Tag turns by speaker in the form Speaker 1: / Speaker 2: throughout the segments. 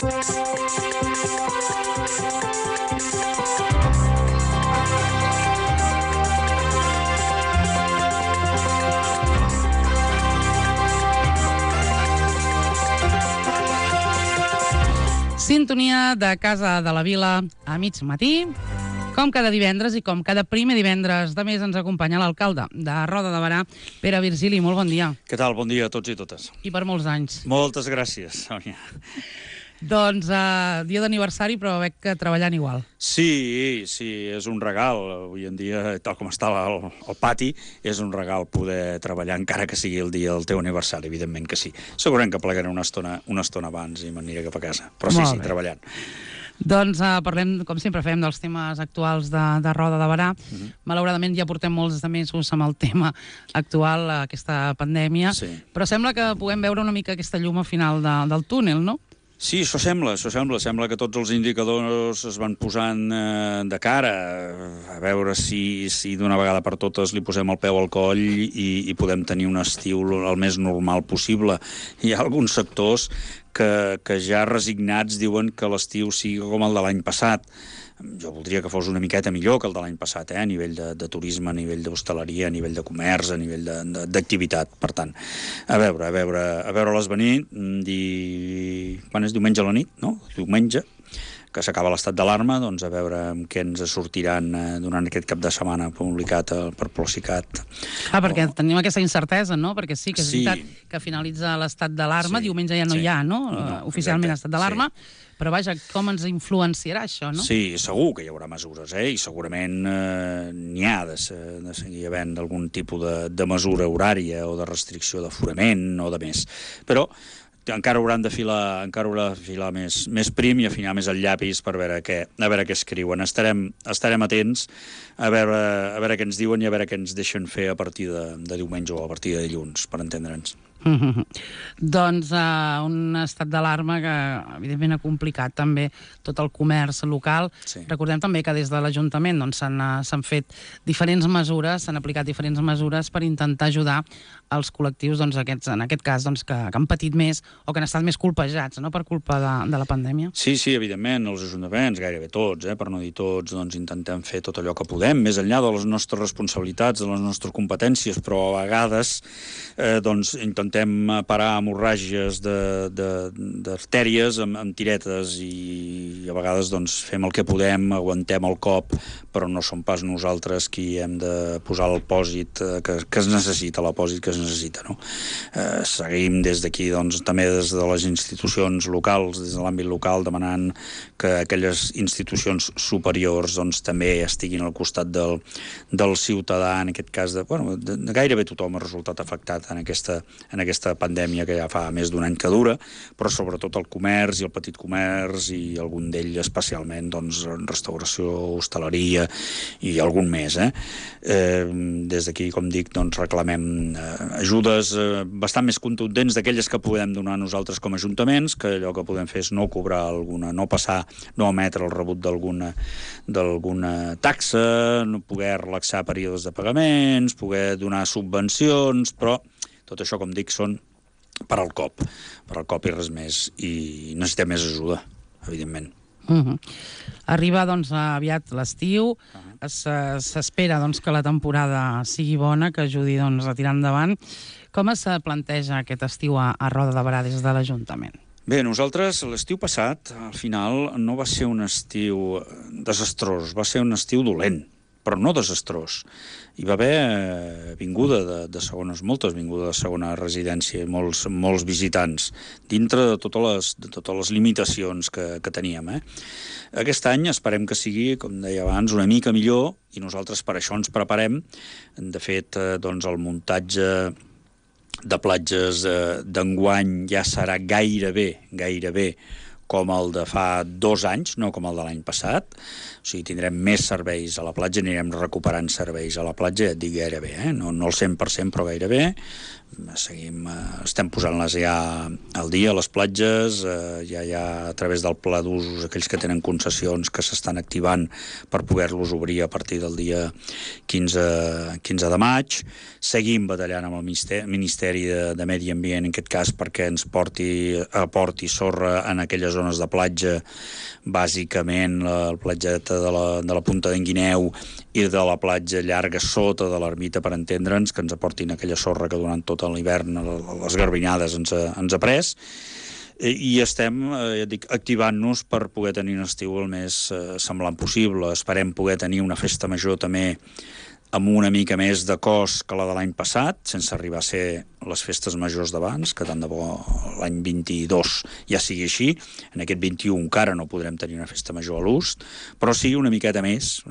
Speaker 1: Sintonia de Casa de la Vila a mig matí. Com cada divendres i com cada primer divendres de mes ens acompanya l'alcalde de Roda de Berà, Pere Virgili. Molt bon dia.
Speaker 2: Què tal? Bon dia a tots i totes.
Speaker 1: I per molts anys.
Speaker 2: Moltes gràcies, Sònia.
Speaker 1: Doncs dia d'aniversari, però veig que treballant igual.
Speaker 2: Sí, és un regal. Avui en dia, tal com està el pati, és un regal poder treballar, encara que sigui el dia del teu aniversari, evidentment que sí. Segurament que plegaré una estona abans i m'aniré cap a casa. Però sí, treballant.
Speaker 1: Doncs parlem, com sempre fem, dels temes actuals de Roda de Berà. Malauradament ja portem molts de mesos amb el tema actual, aquesta pandèmia, però sembla que puguem veure una mica aquesta llum al final del túnel, no?
Speaker 2: Sí, això sembla. Sembla que tots els indicadors es van posant de cara a veure si d'una vegada per totes li posem el peu al coll i podem tenir un estiu el més normal possible. Hi ha alguns sectors que ja resignats diuen que l'estiu sigui com el de l'any passat. Jo voldria que fos una miqueta millor que el de l'any passat, a nivell de turisme, a nivell d'hostaleria, a nivell de comerç, a nivell d'activitat. Per tant, a veure-les venir. Quan és diumenge a la nit, no? Diumenge, que s'acaba l'estat d'alarma, doncs a veure què ens sortiran durant aquest cap de setmana publicat per Procicat.
Speaker 1: Perquè tenim aquesta incertesa, no? Perquè sí que és veritat que finalitza l'estat d'alarma, diumenge ja no hi ha, no? Oficialment estat d'alarma, però vaja, com ens influenciarà això, no?
Speaker 2: Sí, segur que hi haurà mesures, i segurament n'hi ha de seguir havent algun tipus de mesura horària o de restricció d'aforament o de més. Però encara hauran de filar més prim i afinar més el llapis per veure què escriuen. Estarem atents a veure què ens diuen i a veure què ens deixen fer a partir de diumenge o a partir de dilluns, per entendre'ns.
Speaker 1: Doncs un estat d'alarma que evidentment ha complicat també tot el comerç local. Recordem també que des de l'Ajuntament s'han fet diferents mesures, s'han aplicat diferents mesures per intentar ajudar els col·lectius, en aquest cas, que han patit més o que han estat més colpejats per culpa de la pandèmia.
Speaker 2: Sí, evidentment, els ajuntaments, gairebé tots, per no dir tots, intentem fer tot allò que podem, més enllà de les nostres responsabilitats, de les nostres competències, però a vegades intentem parar hemorràgies d'artèries amb tiretes i a vegades fem el que podem, aguantem el cop, però no som pas nosaltres qui hem de posar el pòsit que es necessita, l'apòsit que es necessita, no? Seguim des d'aquí, també des de les institucions locals, des de l'àmbit local, demanant que aquelles institucions superiors també estiguin al costat del ciutadà, en aquest cas de gairebé tothom ha resultat afectat en aquesta pandèmia que ja fa més d'un any que dura, però sobretot el comerç i el petit comerç i algun d'ell especialment, restauració, hostaleria i algun més. Des d'aquí, com dic, reclamem ajudes bastant més contundents d'aquelles que podem donar nosaltres com a ajuntaments, que allò que podem fer és no cobrar no emetre el rebut d'alguna taxa, no poder relaxar períodes de pagaments, poder donar subvencions, però tot això, com dic, són per al cop i res més, i necessitem més ajuda, evidentment.
Speaker 1: Arriba aviat l'estiu, s'espera que la temporada sigui bona, que ajudi a tirar endavant. Com es planteja aquest estiu a Roda de Berà des de l'Ajuntament?
Speaker 2: Bé, nosaltres l'estiu passat, al final, no va ser un estiu desastrós, va ser un estiu dolent, però no desastrós. Hi va haver moltes vingudes de segona residència, molts visitants, dintre de totes les limitacions que teníem. Aquest any esperem que sigui, com deia abans, una mica millor, i nosaltres per això ens preparem. De fet, el muntatge de platges d'enguany ja serà gairebé com el de fa 2 anys, no com el de l'any passat. O sigui, tindrem més serveis a la platja, anirem recuperant serveis a la platja, ja et dic gairebé, no el 100%, però gairebé. estem posant-les ja al dia a les platges, ja hi ha a través del pla d'usos aquells que tenen concessions que s'estan activant per poder-los obrir a partir del dia 15 de maig. Seguim batallant amb el Ministeri de Medi Ambient, en aquest cas, perquè ens aporti sorra en aquelles zones de platja, bàsicament la platgeta de la Punta d'en Guineu i de la platja llarga sota de l'Ermita, per entendre'ns, que ens aportin aquella sorra que durant tot l'hivern les garbinades ens ha pres. I estem, ja dic, activant-nos per poder tenir un estiu el més semblant possible. Esperem poder tenir una festa major també amb una mica més de cost que la de l'any passat, sense arribar a ser les festes majors d'abans, que tant de bo l'any 22 ja sigui així. En aquest 21 encara no podrem tenir una festa major a l'Ust, però sí una miqueta més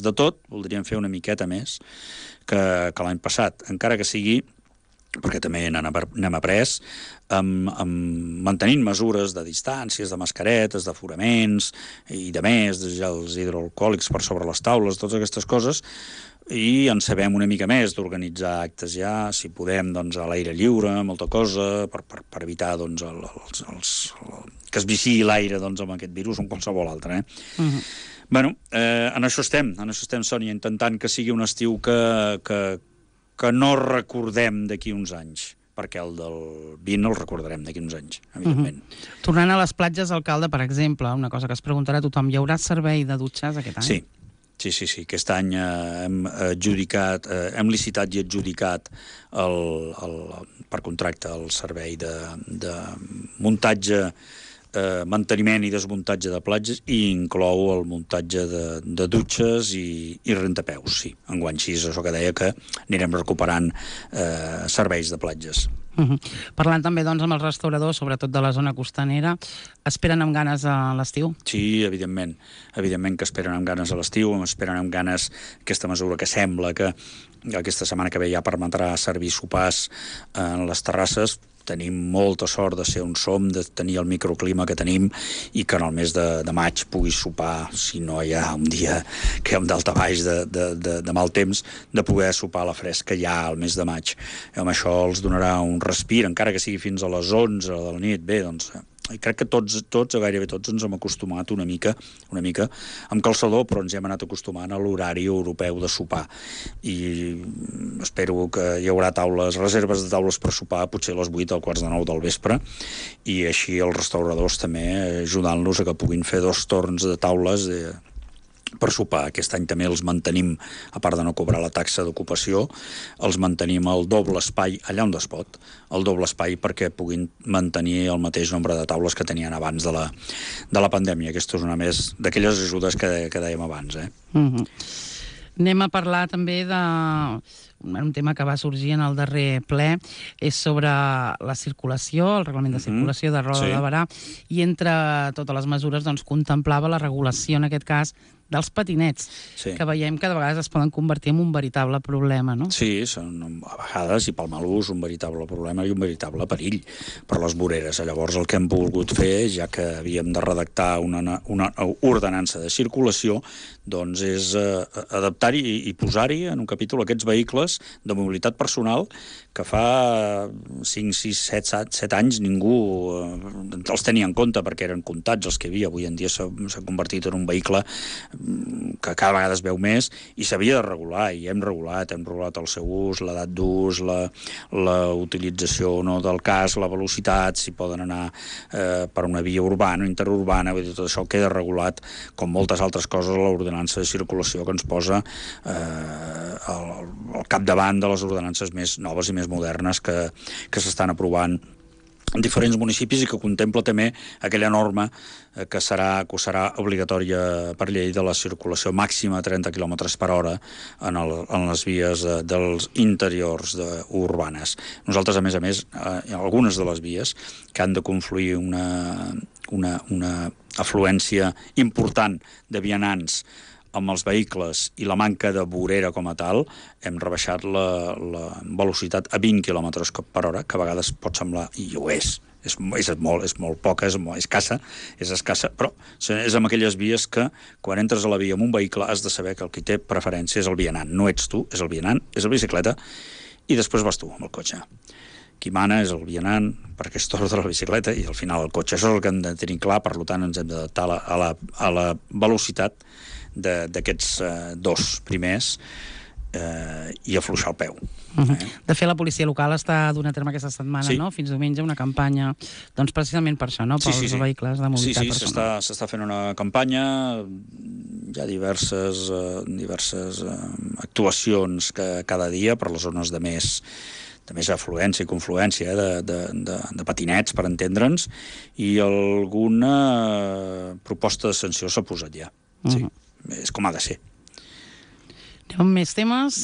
Speaker 2: de tot. Voldríem fer una miqueta més que l'any passat, encara que sigui, perquè també n'hem après, mantenint mesures de distàncies, de mascaretes, d'aforaments i de més, de gels hidroalcohòlics per sobre les taules, totes aquestes coses, i en sabem una mica més d'organitzar actes ja, si podem, doncs, a l'aire lliure, molta cosa, per evitar, doncs, que es viciï l'aire, doncs, amb aquest virus o amb qualsevol altre, Bueno, en això estem, Sònia, intentant que sigui un estiu que no recordem d'aquí uns anys, perquè el del 20 el recordarem d'aquí uns anys, evidentment.
Speaker 1: Tornant a les platges, alcalde, per exemple, una cosa que es preguntarà a tothom, hi haurà servei de dutxes aquest any?
Speaker 2: Sí. Aquest any hem licitat i adjudicat per contracte el servei de muntatge, manteniment i desmuntatge de platges, i inclou el muntatge de dutxes i rentapeus, sí. Enguany sí, és això que deia, que anirem recuperant serveis de platges.
Speaker 1: Parlant també, doncs, amb els restauradors, sobretot de la zona costanera, esperen amb ganes a l'estiu?
Speaker 2: Sí, evidentment que esperen amb ganes a l'estiu, esperen amb ganes aquesta mesura que sembla que aquesta setmana que ve ja permetrà servir sopars en les terrasses. Tenim molta sort de ser on som, de tenir el microclima que tenim, i que en el mes de maig puguis sopar, si no hi ha un dia que hi ha un daltabaix de mal temps, de poder sopar a la fresca ja al mes de maig. I amb això els donarà un respir, encara que sigui fins a les 11 de la nit. Bé, doncs, crec que tots, gairebé tots, ens hem acostumat una mica amb calçador, però ens hem anat acostumant a l'horari europeu de sopar. I espero que hi haurà reserves de taules per sopar, potser a les 8 o quarts de 9 del vespre, i així els restauradors també ajudant-los a que puguin fer 2 torns de taules per sopar. Aquest any també els mantenim, a part de no cobrar la taxa d'ocupació, els mantenim al doble espai allà on es pot, el doble espai perquè puguin mantenir el mateix nombre de taules que tenien abans de la pandèmia. Aquesta és una més d'aquelles ajudes que dèiem abans.
Speaker 1: Anem a parlar també un tema que va sorgir en el darrer ple, és sobre la circulació, el reglament de circulació de Roda de Berà, i entre totes les mesures doncs, contemplava la regulació, en aquest cas, dels patinets, que veiem que de vegades es poden convertir en un veritable problema, no?
Speaker 2: Sí, són a vegades, i pel mal ús, un veritable problema i un veritable perill per les voreres. Llavors el que hem volgut fer, ja que havíem de redactar una ordenança de circulació, doncs és adaptar i posar-hi en un capítol aquests vehicles de mobilitat personal que fa 5, 6, 7 anys ningú els tenia en compte perquè eren comptats els que hi havia. Avui en dia s'ha convertit en un vehicle que cada vegada es veu més i s'havia de regular, i hem regulat el seu ús, l'edat d'ús, la utilització o no del casc, la velocitat, si poden anar per una via urbana o interurbana, vull dir, tot això queda regulat com moltes altres coses a l'ordenança de circulació que ens posa al capdavant de les ordenances més noves i més modernes que s'estan aprovant en diferents municipis i que contempla també aquella norma que serà obligatòria per llei de la circulació màxima a 30 km per hora en les vies dels interiors urbanes. Nosaltres, a més, algunes de les vies que han de confluir una afluència important de vianants amb els vehicles i la manca de vorera com a tal, hem rebaixat la velocitat a 20 km per hora, que a vegades pot semblar, i ho és molt poca, és escassa, però és amb aquelles vies que quan entres a la via amb un vehicle has de saber que el qui té preferència és el vianant, no ets tu, és el vianant, és la bicicleta, i després vas tu amb el cotxe. Qui mana és el vianant, perquè és torn de la bicicleta, i al final el cotxe. Això és el que hem de tenir clar, per tant ens hem d'adaptar a la velocitat d'aquests dos primers i afluixar el peu.
Speaker 1: De fet, la policia local està donant a terme aquesta setmana, no? Fins diumenge, una campanya, doncs precisament per això, no? Pels vehicles de mobilitat personal.
Speaker 2: S'està fent una campanya, hi ha diverses actuacions cada dia per les zones de més afluència i confluència de patinets, per entendre'ns, i alguna proposta de sanció s'ha posat ja. Sí, és com ha de ser.
Speaker 1: Anem amb més temes.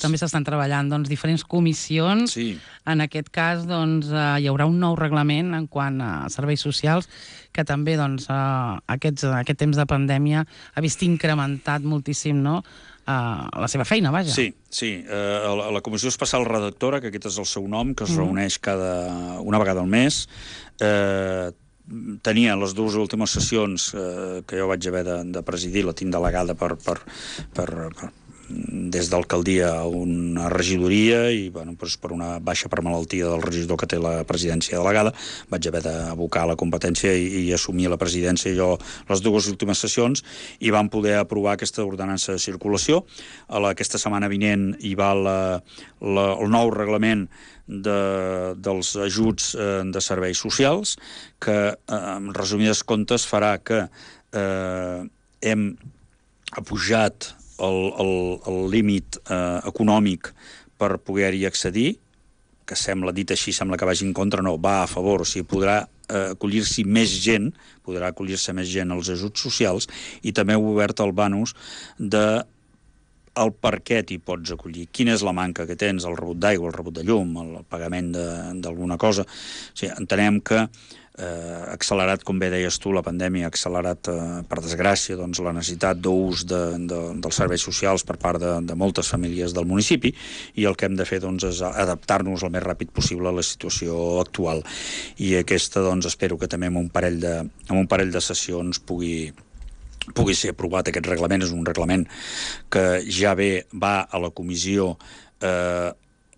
Speaker 1: També s'estan treballant diferents comissions. En aquest cas hi haurà un nou reglament en quant a serveis socials que també aquest temps de pandèmia ha vist incrementat moltíssim, no?, la seva feina, vaja.
Speaker 2: Sí. La Comissió Especial Redactora, que aquest és el seu nom, que es reuneix una vegada al mes, tenia les dues últimes sessions que jo vaig haver de presidir, la tinc delegada des d'alcaldia a una regidoria i per una baixa per malaltia del regidor que té la presidència delegada vaig haver d'abocar la competència i assumir la presidència jo les dues últimes sessions i vam poder aprovar aquesta ordenança de circulació. Aquesta setmana vinent hi va el nou reglament dels ajuts de serveis socials que, en resumides comptes, farà que hem apujat el límit econòmic per poder-hi accedir, que dit així sembla que vagi en contra, no, va a favor, o sigui, podrà acollir-se més gent als ajuts socials i també heu obert el bonus de el per què t'hi pots acollir, quina és la manca que tens, el rebut d'aigua, el rebut de llum, el pagament d'alguna cosa. O sigui, entenem que ha accelerat, com bé deies tu, la pandèmia ha accelerat, per desgràcia, la necessitat d'ús dels serveis socials per part de moltes famílies del municipi i el que hem de fer és adaptar-nos el més ràpid possible a la situació actual. I aquesta, espero que també en un parell de sessions pugui ser aprovat aquest reglament. És un reglament que ja va a la comissió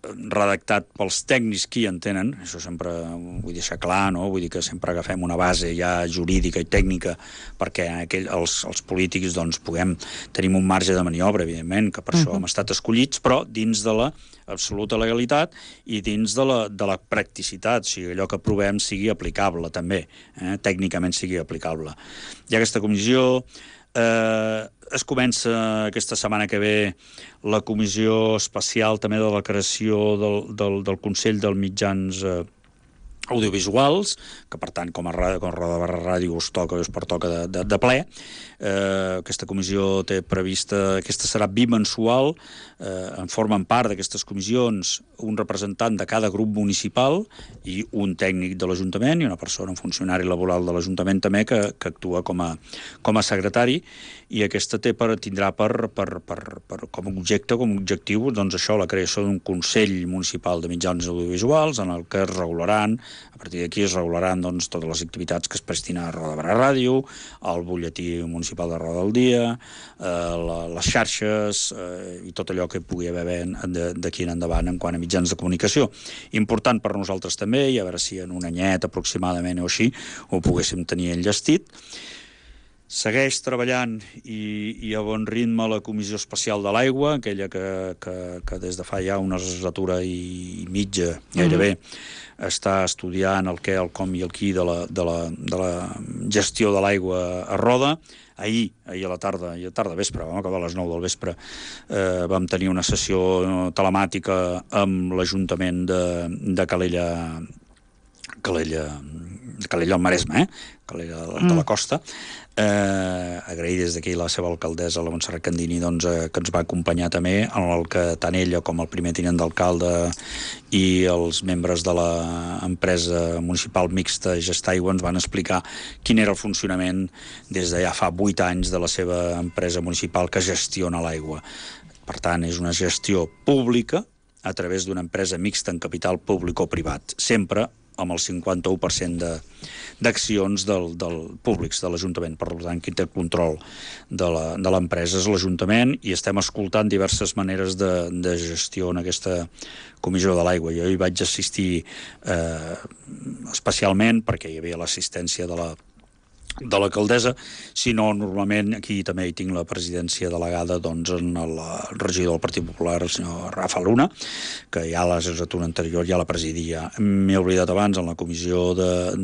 Speaker 2: redactat pels tècnics que hi entenen, això sempre ho vull deixar clar, no? Vull dir que sempre agafem una base ja jurídica i tècnica perquè els polítics tenim un marge de maniobra, evidentment, que per això hem estat escollits, però dins de l'absoluta legalitat i dins de la practicitat, o sigui, allò que aprovem sigui aplicable també, tècnicament sigui aplicable. Hi ha aquesta comissió. Es comença aquesta setmana que ve la comissió especial també de la creació del Consell dels Mitjans Audiovisuals, que per tant com a Roda de Ràdio us pertoca de ple. Aquesta comissió té prevista, aquesta serà bimensual, en formen part d'aquestes comissions un representant de cada grup municipal i un tècnic de l'Ajuntament i una persona, un funcionari laboral de l'Ajuntament també que actua com a secretari, i aquesta tindrà com a objectiu això, la creació d'un Consell Municipal de Mitjans Audiovisuals en el que es regularan, a partir d'aquí es regularan totes les activitats que es prestin a Roda de Ràdio, al butlletí municipal de Roda del Dia, les xarxes i tot allò que pugui haver d'aquí en endavant en quant a mitjans de comunicació. Important per nosaltres també, i a veure si en un anyet aproximadament o així ho poguéssim tenir enllestit. Segueix treballant i a bon ritme la Comissió Especial de l'Aigua, aquella que des de fa ja una legislatura i mitja gairebé està estudiant el què, el com i el qui de la gestió de l'aigua a Roda. Ahir a la tarda vespre, vam acabar a les 9 del vespre, vam tenir una sessió telemàtica amb l'Ajuntament de Calella al Maresme, Calella de la Costa. Agrair des d'aquí la seva alcaldessa, la Montserrat Candini, que ens va acompanyar també, en el que tant ella com el primer tinent d'alcalde i els membres de l'empresa municipal mixta Gestaigua ens van explicar quin era el funcionament des de ja fa 8 anys de la seva empresa municipal que gestiona l'aigua. Per tant, és una gestió pública a través d'una empresa mixta en capital públic o privat, sempre amb el 51% d'accions del públics de l'Ajuntament. Per tant, qui té el control de l'empresa és l'Ajuntament, i estem escoltant diverses maneres de gestió en aquesta comissió de l'aigua. Jo hi vaig assistir especialment perquè hi havia l'assistència de l'alcaldessa, sinó normalment aquí també hi tinc la presidència delegada en el regidor del Partit Popular, el senyor Rafa Luna, que ja la legislatura anterior ja la presidia. M'he oblidat abans, en la comissió de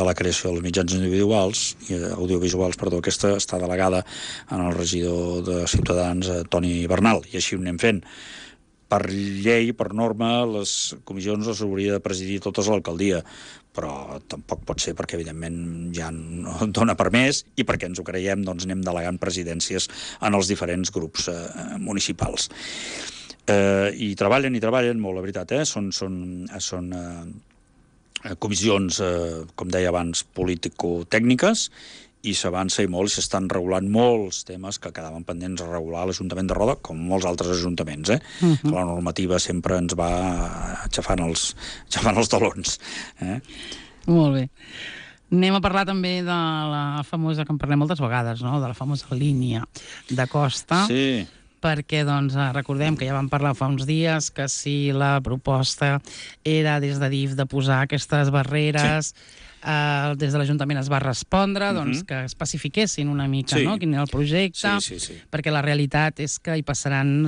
Speaker 2: la creació dels mitjans audiovisuals, aquesta està delegada en el regidor de Ciutadans, Toni Bernal, i així ho anem fent. Per llei, per norma, les comissions les hauria de presidir totes a l'alcaldia, però tampoc pot ser perquè, evidentment, ja no dona per més, i perquè ens ho creiem, doncs anem delegant presidències en els diferents grups municipals. I treballen molt, la veritat, Són comissions, com deia abans, político-tècniques, i s'avança i molt, i s'estan regulant molts temes que quedaven pendents de regular a l'Ajuntament de Roda, com molts altres ajuntaments, que la normativa sempre ens va aixafant els talons.
Speaker 1: Molt bé. Anem a parlar també de la famosa, que en parlem moltes vegades, no?, de la famosa línia de costa.
Speaker 2: Sí.
Speaker 1: Perquè, recordem que ja vam parlar fa uns dies que si la proposta era des de DIF de posar aquestes barreres, des de l'Ajuntament es va respondre que especifiquessin una mica quin era el projecte, perquè la realitat és que hi passaran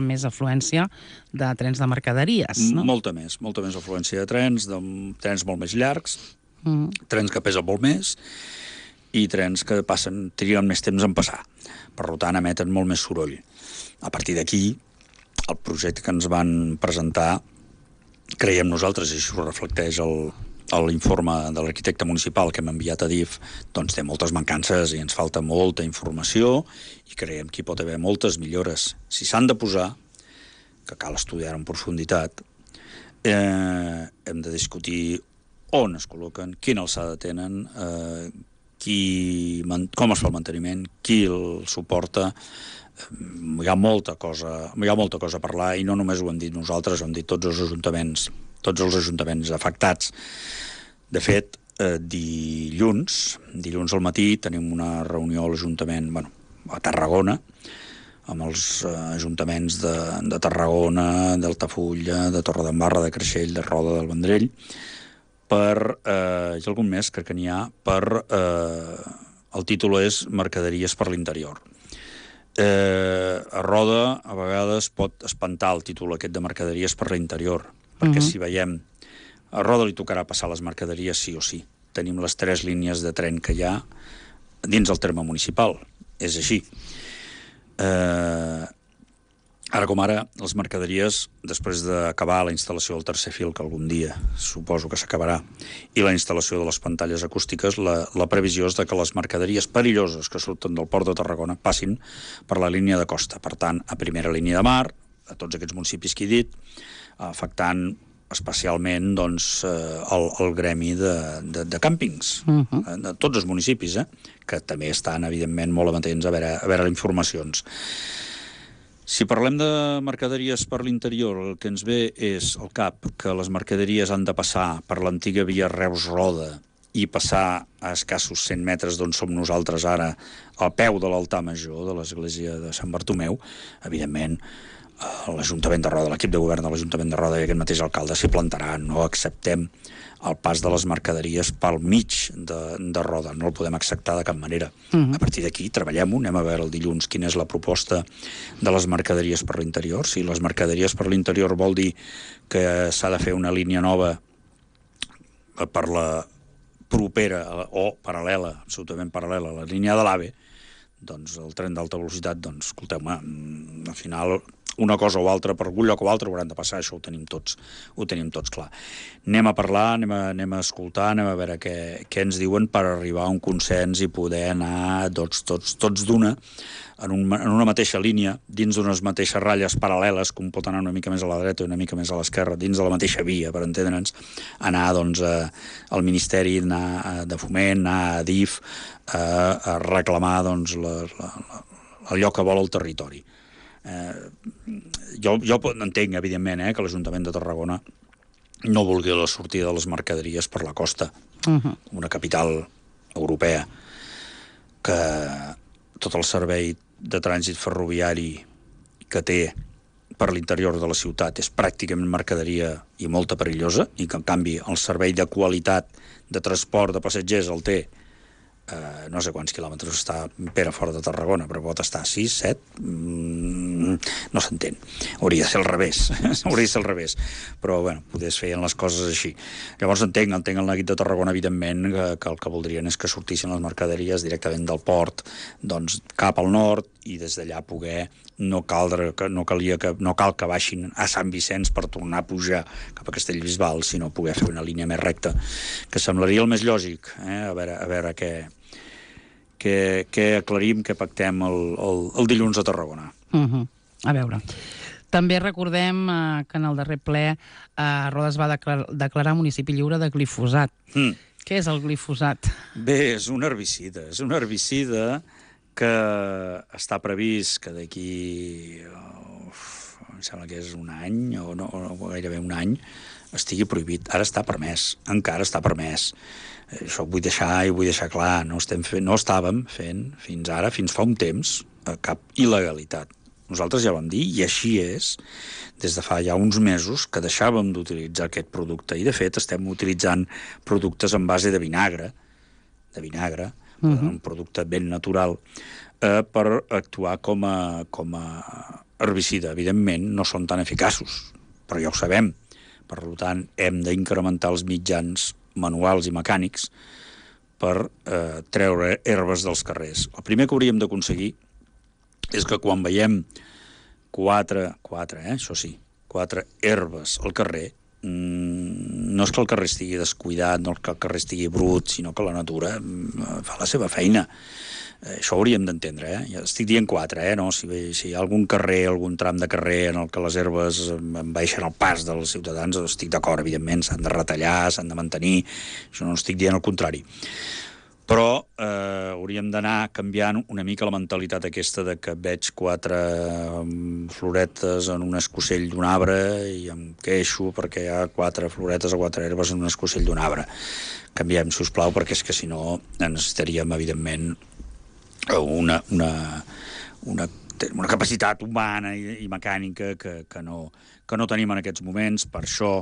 Speaker 1: més afluència de trens de mercaderies.
Speaker 2: Molta més afluència de trens molt més llargs, trens que pesen molt més, i trens que triguen més temps en passar. Per tant, emeten molt més soroll. A partir d'aquí, el projecte que ens van presentar, creiem nosaltres, i això ho reflecteix l'informe de l'arquitecte municipal que hem enviat a DIF, doncs té moltes mancances i ens falta molta informació, i creiem que hi pot haver moltes millores. Si s'han de posar, que cal estudiar en profunditat, hem de discutir on es col·loquen, quina alçada tenen, com es fa el manteniment, qui el suporta. Hi ha molta cosa a parlar, i no només ho hem dit nosaltres, ho hem dit tots els ajuntaments afectats. De fet, dilluns al matí tenim una reunió a l'Ajuntament, a Tarragona, amb els ajuntaments de Tarragona, d'Altafulla, de Torredembarra, de Creixell, de Roda, del Vendrell, hi ha algun més que n'hi ha, el títol és Mercaderies per l'interior. A Roda a vegades pot espantar el títol aquest de Mercaderies per l'interior, perquè si veiem, a Roda li tocarà passar les mercaderies sí o sí. Tenim les 3 línies de tren que hi ha dins el terme municipal, és així. Ara com ara, les mercaderies, després d'acabar la instal·lació del tercer fil, que algun dia suposo que s'acabarà, i la instal·lació de les pantalles acústiques, la previsió és que les mercaderies perilloses que surten del port de Tarragona passin per la línia de costa. Per tant, a primera línia de mar, a tots aquests municipis que he dit, afectant especialment el gremi de càmpings, de tots els municipis, que també estan, evidentment, molt amatents a veure informacions. Si parlem de mercaderies per l'interior, el que ens ve és al cap que les mercaderies han de passar per l'antiga via Reus-Roda i passar a escassos 100 metres d'on som nosaltres ara, al peu de l'altar major de l'església de Sant Bartomeu. Evidentment, l'Ajuntament de Roda, l'equip de govern de l'Ajuntament de Roda i aquest mateix alcalde s'hi plantarà. No acceptem el pas de les mercaderies pel mig de Roda. No el podem acceptar de cap manera. A partir d'aquí treballem-ho, anem a veure el dilluns quina és la proposta de les mercaderies per l'interior. Si les mercaderies per l'interior vol dir que s'ha de fer una línia nova per la propera o paral·lela, absolutament paral·lela a la línia de l'AVE, doncs el tren d'alta velocitat, escolteu-me, al final una cosa o altra, per algun lloc o altre hauran de passar, això ho tenim tots clar. Anem a parlar, anem a escoltar, anem a veure què ens diuen per arribar a un consens i poder anar tots d'una, en una mateixa línia, dins d'unes mateixes ratlles paral·leles, com pot anar una mica més a la dreta i una mica més a l'esquerra, dins de la mateixa via, per entendre'ns, anar al Ministeri, anar de Foment, anar a DIF, a reclamar allò que vol el territori. Jo entenc, evidentment, que l'Ajuntament de Tarragona no vulgui la sortida de les mercaderies per la costa. Una capital europea que tot el servei de trànsit ferroviari que té per l'interior de la ciutat és pràcticament mercaderia i molta perillosa, i que en canvi el servei de qualitat de transport de passatgers el té no sé quants quilòmetres està Pere fora de Tarragona, però pot estar 6, 7, no s'entén. Hauria de ser al revés, hauria de ser al revés. Però, bueno, potser es feien les coses així. Llavors entenc el neguit de Tarragona, evidentment, que el que voldrien és que sortissin les mercaderies directament del port, doncs cap al nord, i des d'allà poder no cal que baixin a Sant Vicenç per tornar a pujar cap a Castellbisbal, sinó poder fer una línia més recta, que semblaria el més lògic, a veure què aclarim, què pactem el dilluns a Tarragona.
Speaker 1: A veure. També recordem que en el darrer ple Roda es va declarar municipi lliure de glifosat. Què és el glifosat?
Speaker 2: Bé, és un herbicida que està previst que d'aquí, em sembla que és un any, o gairebé un any, estigui prohibit. Ara està permès, encara està permès. Això ho vull deixar clar, no estàvem fent fins ara, fins fa un temps, cap il·legalitat. Nosaltres ja vam dir, i així és, des de fa ja uns mesos, que deixàvem d'utilitzar aquest producte, i de fet estem utilitzant productes en base de vinagre, un producte ben natural, per actuar com a herbicida. Evidentment, no són tan eficaços, però ja ho sabem. Per tant, hem d'incrementar els mitjans manuals i mecànics per treure herbes dels carrers. El primer que hauríem d'aconseguir és que quan veiem quatre herbes al carrer, no és que el carrer estigui descuidat, no és que el carrer estigui brut, sinó que la natura fa la seva feina. Això ho hauríem d'entendre, Ja estic dient 4, no? Si hi ha algun carrer, algun tram de carrer en el que les herbes envaeixen el pas dels ciutadans, estic d'acord, evidentment, s'han de retallar, s'han de mantenir, això no estic dient el contrari. Però hauríem d'anar canviant una mica la mentalitat aquesta de que veig 4 floretes en un escocell d'un arbre i em queixo perquè hi ha 4 floretes o 4 herbes en un escocell d'un arbre. Canviem, si us plau, perquè és que si no necessitaríem, evidentment, una capacitat humana i mecànica que no tenim en aquests moments. Per això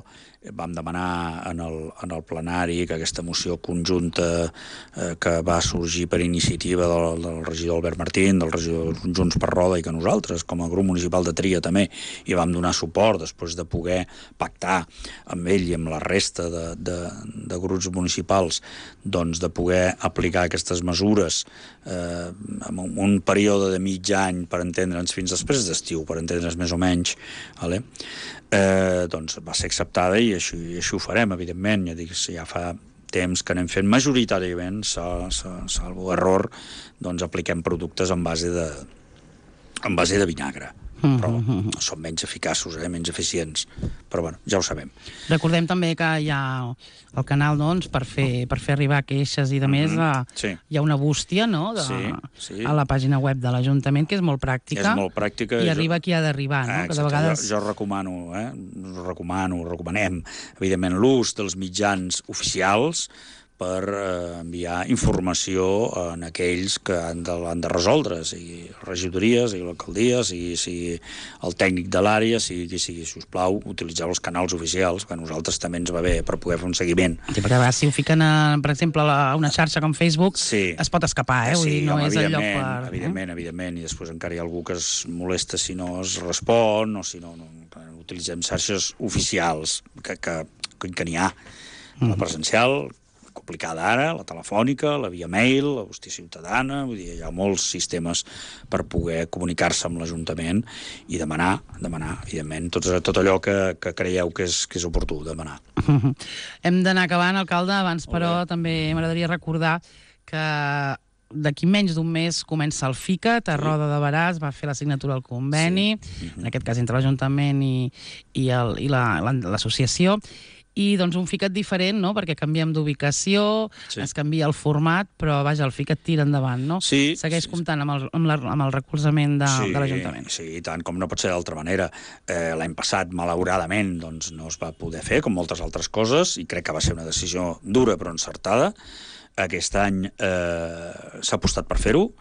Speaker 2: vam demanar en el plenari que aquesta moció conjunta que va sorgir per iniciativa del regidor Albert Martín, del regidor Junts per Roda, i que nosaltres, com a grup municipal de Tria, també hi vam donar suport després de poder pactar amb ell i amb la resta de grups municipals, doncs de poder aplicar aquestes mesures en un període de mig any, per entendre'ns, fins després d'estiu, per entendre'ns més o menys, doncs va ser acceptada i així ho farem, evidentment. Ja fa temps que anem fent majoritàriament, salvo error, doncs apliquem productes en base de vinagre. Però són menys eficaços, menys eficients. Però bueno, ja ho sabem.
Speaker 1: Recordem també que hi ha el canal, doncs, per fer arribar queixes i de més, hi ha una bústia, no?, a la pàgina web de l'Ajuntament, que és molt pràctica.
Speaker 2: És molt pràctica.
Speaker 1: I arriba qui ha d'arribar, no? Que de vegades...
Speaker 2: Jo recomanem, evidentment, l'ús dels mitjans oficials per enviar informació en aquells que han de resoldre, sigui regidories, sigui l'alcaldia, sigui el tècnic de l'àrea, sigui, si us plau, utilitzeu els canals oficials, que a nosaltres també ens va bé per poder fer un seguiment.
Speaker 1: Sí, perquè a vegades si ho fiquen, per exemple, a una xarxa com Facebook, es pot escapar, Vull dir, no és el lloc per...
Speaker 2: Evidentment, i després encara hi ha algú que es molesta si no es respon, o si no utilitzem xarxes oficials, que n'hi ha, la presencial, complicada ara, la telefònica, la via mail, la bústia ciutadana, vull dir, hi ha molts sistemes per poder comunicar-se amb l'Ajuntament i demanar, evidentment, tot allò que creieu que és oportú, demanar.
Speaker 1: Hem d'anar acabant, alcalde, abans, però també m'agradaria recordar que d'aquí menys d'un mes comença el FICAT, a Roda de Berà va fer la signatura del conveni, en aquest cas entre l'Ajuntament i l'associació, i doncs un ficat diferent, no?, perquè canviem d'ubicació, es canvia el format, però vaja, el ficat tira endavant, no? Segueix comptant amb el recolzament de l'Ajuntament.
Speaker 2: Sí, i tant, com no pot ser d'altra manera. L'any passat, malauradament, doncs, no es va poder fer, com moltes altres coses, i crec que va ser una decisió dura però encertada. Aquest any s'ha apostat per fer-ho,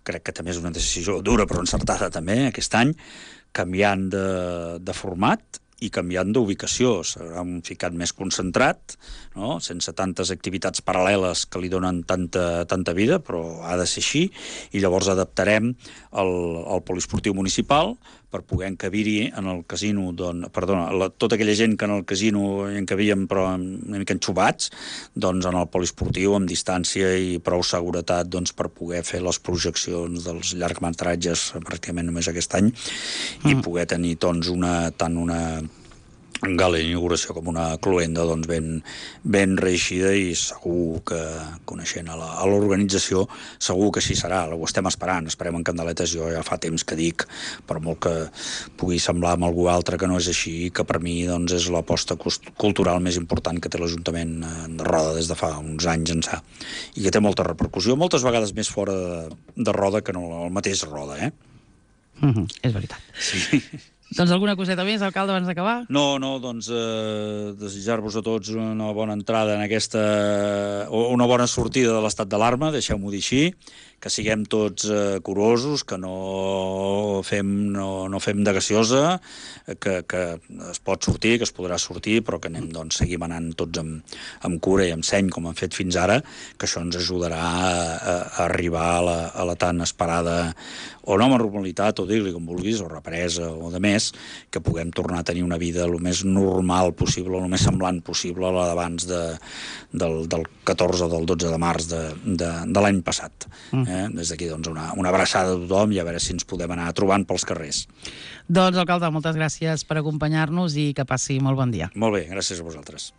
Speaker 2: crec que també és una decisió dura però encertada també, aquest any, canviant de format i canviant d'ubicació. Serà un ficat més concentrat, no?, sense tantes activitats paral·leles que li donen tanta vida, però ha de ser així, i llavors adaptarem el poliesportiu municipal per poder encabir-hi en el casino, tota aquella gent que en el casino hi encabíem però una mica enxubats, doncs en el poliesportiu amb distància i prou seguretat per poder fer les projeccions dels llargmetratges pràcticament només aquest any i poder tenir doncs tant una gala d'inauguració com una cloenda ben reeixida, i segur que, coneixent a l'organització, segur que així serà. Ho estem esperant, esperem en candeletes. Jo ja fa temps que dic, per molt que pugui semblar amb algú altre que no és així, que per mi és l'aposta cultural més important que té l'Ajuntament de Roda des de fa uns anys ençà, i que té molta repercussió, moltes vegades més fora de Roda que no el mateix Roda,
Speaker 1: És veritat.
Speaker 2: Sí.
Speaker 1: Doncs alguna coseta més, alcalde, abans d'acabar?
Speaker 2: No, desitjar-vos a tots una bona entrada en una bona sortida de l'estat d'alarma, deixeu-m'ho dir així, que siguem tots curosos, que no fem de gaseosa, que es pot sortir, que es podrà sortir, però que seguim anant tots amb cura i amb seny, com hem fet fins ara, que això ens ajudarà a arribar a la tan esperada o nova normalitat, o dir-li com vulguis, o represa, o de més, que puguem tornar a tenir una vida el més normal possible, el més semblant possible a la d'abans del 14 o del 12 de març de l'any passat. Des d'aquí, una abraçada a tothom, i a veure si ens podem anar trobant pels carrers.
Speaker 1: Doncs, alcalde, moltes gràcies per acompanyar-nos i que passi molt bon dia.
Speaker 2: Molt bé, gràcies a vosaltres.